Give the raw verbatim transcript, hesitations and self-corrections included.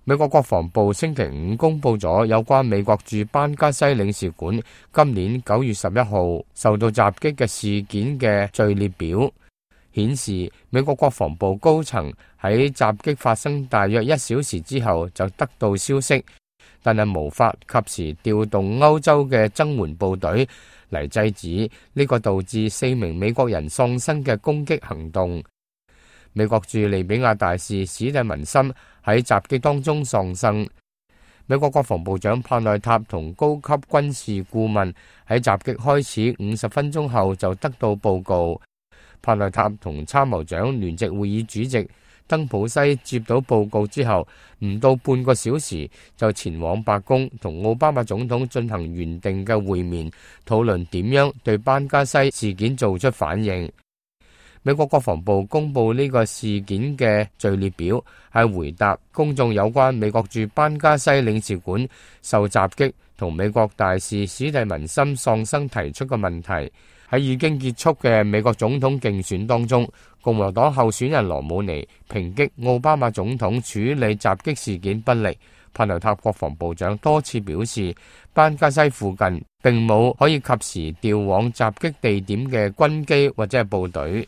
美國國防部星期五公佈咗有關美國駐班加西領事館今年九月十一號受到襲擊嘅事件嘅序列表，顯示美國國防部高層喺襲擊發生大約一小時之後就得到消息，但係無法及時調動歐洲嘅增援部隊嚟制止呢個導致四名美國人喪生嘅攻擊行動。美國駐利比亞大使史蒂文森喺襲擊當中喪生。美國國防部長帕內塔同高級軍事顧問喺襲擊開始五十分鐘後就得到報告。帕內塔同參謀長聯席會議主席登普西接到報告之後，唔到半個小時就前往白宮同奧巴馬總統進行原定嘅會面，討論點樣對班加西事件做出反應。美國國防部公布呢個事件嘅序列表，係回答公眾有關美國駐班加西領事館受襲擊同美國大使史蒂文森喪生提出嘅問題。喺已經結束嘅美國總統競選當中，共和黨候選人羅姆尼抨擊奧巴馬總統處理襲擊事件不力。帕內塔國防部長多次表示，班加西附近並冇可以及時調往襲擊地點嘅軍機或者係部隊。